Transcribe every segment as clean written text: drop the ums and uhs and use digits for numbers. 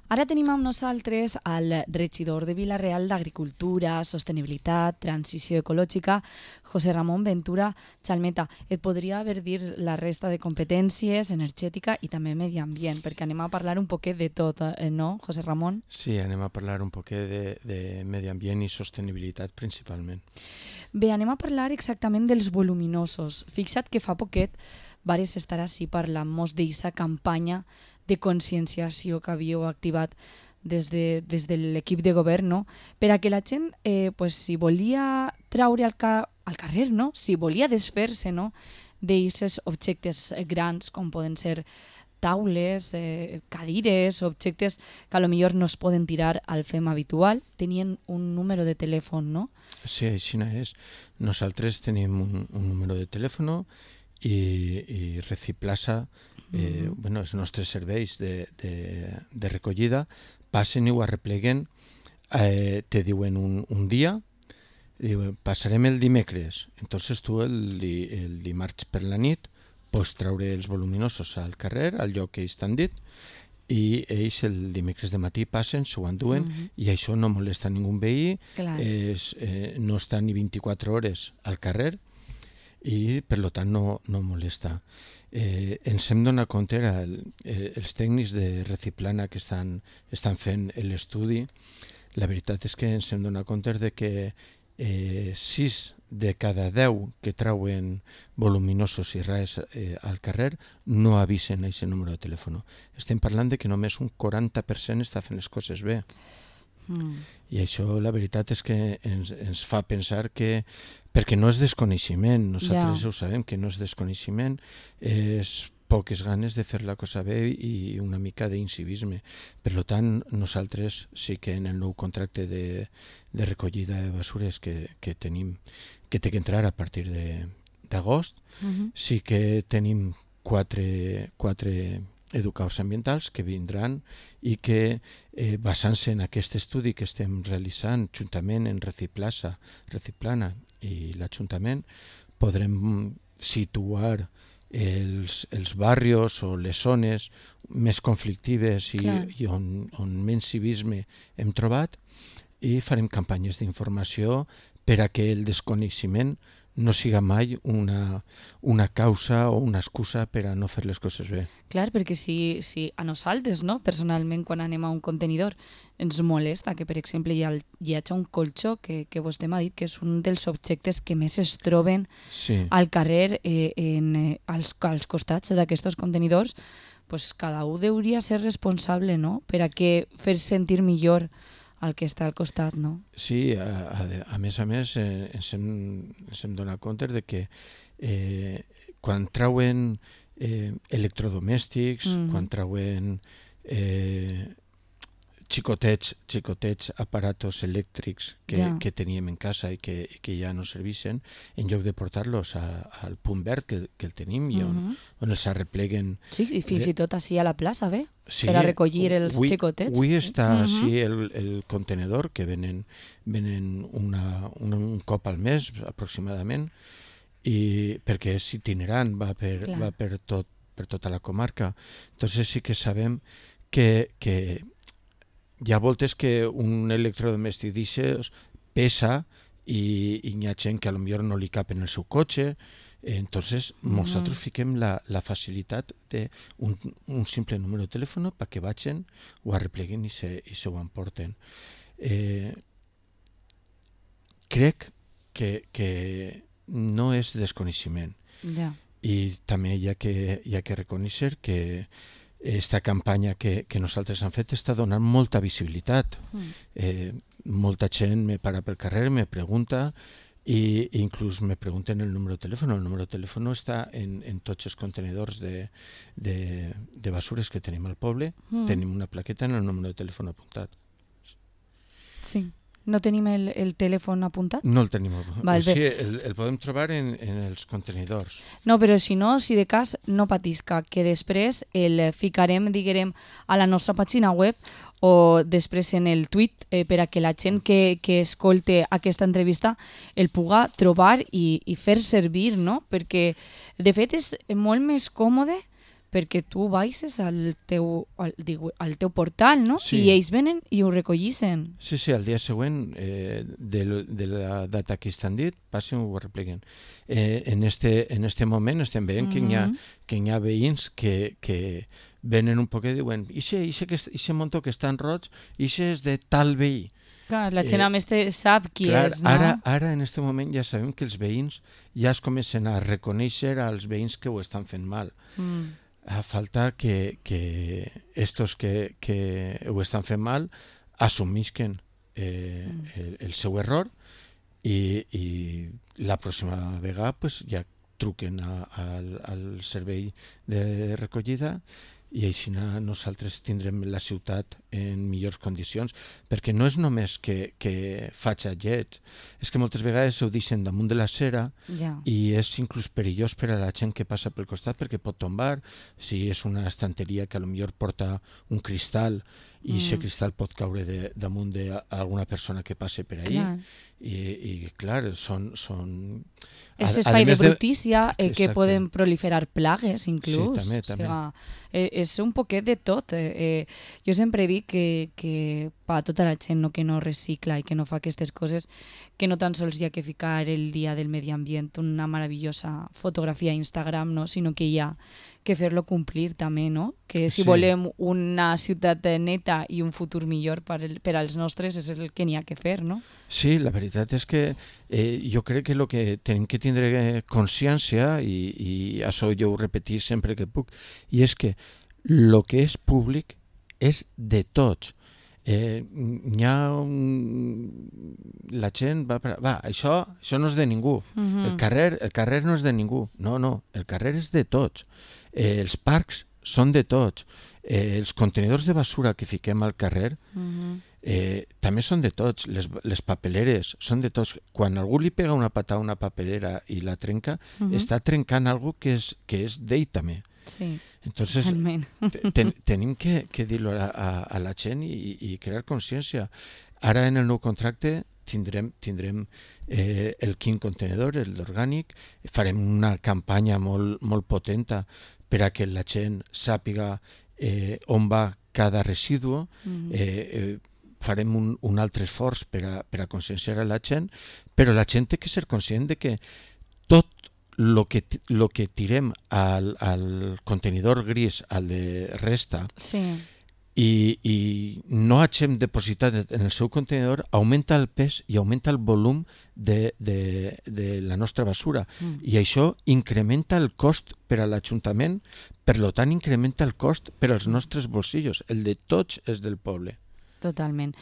Ara tenim amb nosaltres el regidor de Vila-real d'Agricultura, Sostenibilitat, Transició Ecològica, José Ramon Ventura Chalmeta. Et podria haver dir la resta de competències, energètica i també medi ambient, perquè anem a parlar un poquet de tot, no, José Ramon? Sí, anem a parlar un poquet de medi ambient i sostenibilitat principalment. Bé, anem a parlar exactament dels voluminosos. Fixa't que fa poquet vares estar així parlant-nos d'aquesta campanya de conscienciació que havíeu activat des de l'equip de govern, no? Per a que la gent, si volia traure al carrer, no? Si volia desfer-se, no? d'aquests objectes grans, com poden ser taules, cadires, objectes que potser no es poden tirar al fem habitual, tenien un número de telèfon, no? Sí, així és. Nosaltres tenim un número de telèfon i Reciplasa, els nostres serveis de recollida, passen i ho arrepleguen, te diuen un dia, diuen, passarem el dimecres. Entonces tu el dimarts per la nit pots traure els voluminosos al carrer, al lloc que ells t'han dit, i ells el dimecres de matí passen, s'ho enduen, i això no molesta ningú veí, no està ni 24 hores al carrer, i per tant no molesta. Ens hem donat compte, els tècnics de Reciplana que estan fent l'estudi, la veritat és que ens hem donat compte de que 6 de cada 10 que trauen voluminosos i res al carrer no avisen a aquest número de telèfon. Estem parlant de que només un 40% està fent les coses bé. I això la veritat és que ens fa pensar que, perquè no és desconeixement, nosaltres ho sabem que no és desconeixement, és poques ganes de fer la cosa bé i una mica d'incivisme. Per tant, nosaltres sí que en el nou contracte de recollida de basures que tenim, que té que entrar a partir d'agost, sí que tenim quatre educadors ambientals que vindran i que, basant-se en aquest estudi que estem realitzant juntament en Reciplana i l'Ajuntament, podrem situar els barris o les zones més conflictives i on menys civisme hem trobat, i farem campanyes d'informació per a que el desconeixement no siga mai una causa o una excusa per a no fer les coses bé. Clar, perquè si a nosaltres, no, personalment, quan anem a un contenidor, ens molesta que, per exemple, hi hagi un colxó que vostè m'ha dit que és un dels objectes que més es troben al carrer als costats d'aquests contenidors, pues cada un hauria de ser responsable, no?, per a que fer sentir millor el que està al costat, no? Sí, a més, ens hem donat compte de que quan trauen electrodomèstics, quan trauen xicotets aparatos elèctrics que teníem en casa i que ja no servixen, en lloc de portar-los al punt verd que el tenim i on els arrepleguen. Sí, i fins i tot així a la plaça, bé? Sí, per a recollir els xicotets. Avui està així el contenedor, que venen un cop al mes aproximadament, i perquè és itinerant, va per tota la comarca. Entonces sí que sabem que hi ha voltes que un electrodomèstic d'això pesa i hi ha gent que potser no li cap en el seu cotxe. Entonces nosaltres fiquem la facilitat d'un simple número de telèfon perquè vagin, ho arrepleguen i se ho emporten. Crec que no és desconeixement. I també hi ha que reconèixer que aquesta campanya que nosaltres hem fet està donant molta visibilitat. Molta gent me para pel carrer, me pregunta, i inclús me pregunten el número de telèfon. El número de telèfon està en tots els contenidors de basures que tenim al poble. Tenim una plaqueta en el número de telèfon apuntat. Sí. No tenim el telèfon apuntat? No el tenim apuntat. Sí, el podem trobar en els contenidors. No, però si no, si de cas, no patisca, que després el ficarem, diguem, a la nostra pàgina web o després en el tuit per a que la gent que escolte aquesta entrevista el puga trobar i fer servir, no? Perquè, de fet, és molt més còmode perquè tu baixes al teu portal, no? Sí. I ells venen i ho recollissen. Sí, al dia següent de la data que estan dit, passen i ho repliquen. En este moment estem veient que hi ha veïns que venen un poc i diuen ixe montó que està en roig, ixe és de tal veí. Clar, la gent a més sap qui és, no? Ara, en aquest moment, ja sabem que els veïns ja es comencen a reconèixer als veïns que ho estan fent mal. A falta que estos que ho estan fent mal assumisquen el seu error i la pròxima vegada pues, ja truquen al servei de recollida i així nosaltres tindrem la ciutat en millors condicions, perquè no és només que faig lleig, és que moltes vegades ho deixen damunt de la cera i és inclús perillós per a la gent que passa pel costat perquè pot tombar, si és una estanteria que potser porta un cristal i aquest cristal pot caure damunt d'alguna persona que passe per allà i clar, són... És espai de brutícia que poden proliferar plagues inclús. Sí, també. És un poquet de tot. Jo sempre dic que per tota la gent que no recicla i que no fa aquestes coses, que no tan sols hi ha que ficar el dia del medi ambient, una meravellosa fotografia a Instagram, no? Sinó que hi ha que fer-lo complir també, no? Que si volem una ciutat neta i un futur millor per als nostres és el que n'hi ha que fer, no? Sí, la veritat és que jo crec que el que tenim que tindre consciència, i això jo ho repetís sempre que puc, i és que el que és públic és de tots. La gent va, això no és de ningú. El carrer no és de ningú. No, el carrer és de tots. Els parcs són de tots. Els contenidors de basura que fiquem al carrer també són de tots. Les papeleres són de tots. Quan algú li pega una patada a una papelera i la trenca, està trencant alguna cosa que és d'ell també. Sí, entonces tenim que dir-ho a la gent i crear consciència. Ara en el nou contracte tindrem el quin contenedor, l'orgànic, farem una campanya molt potenta per a que la gent sàpiga on va cada residu, farem un altre esforç per a conscienciar a la gent, però la gent té que ser conscient de que tot lo que tirem al contenidor gris, al de resta, i no hagem depositat en el seu contenidor, augmenta el pes i augmenta el volum de la nostra basura. I això incrementa el cost per a l'Ajuntament, per tant incrementa el cost per als nostres bolsillos. El de tots és del poble. Totalment.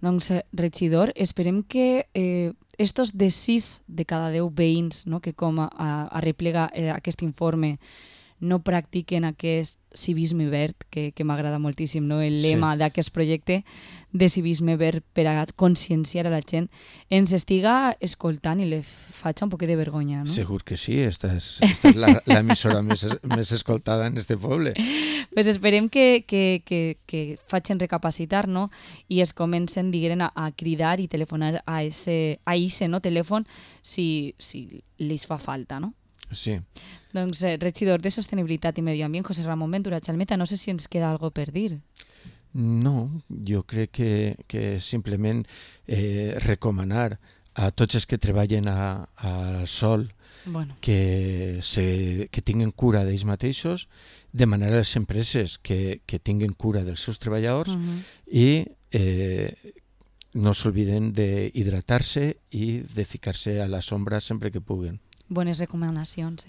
Doncs, regidor, esperem que estos de 6 de cada 10 veïns, no, que com a replega aquest informe no practiquen aquest civisme verd, que m'agrada moltíssim, no? El lema d'aquest projecte de civisme verd per a conscienciar a la gent, ens estiga escoltant i li faig un poquet de vergonya, no? Segur que sí, esta és l'emissora més escoltada en este poble. Pues esperem que facin recapacitar, no? I es comencen, diguem, a cridar i telefonar a ese no, telèfon si li fa falta, no? Sí. Doncs, regidor de Sostenibilitat i Medi Ambient, José Ramon Ventura Chalmeta, no sé si ens queda algo per dir. No, jo crec que simplement recomanar a tots els que treballen al sol que tinguin cura d'ells mateixos, demanar a les empreses que tinguin cura dels seus treballadors i no s'obliden d'hidratar-se i de ficar-se a la sombra sempre que puguen. Bones recomanacions,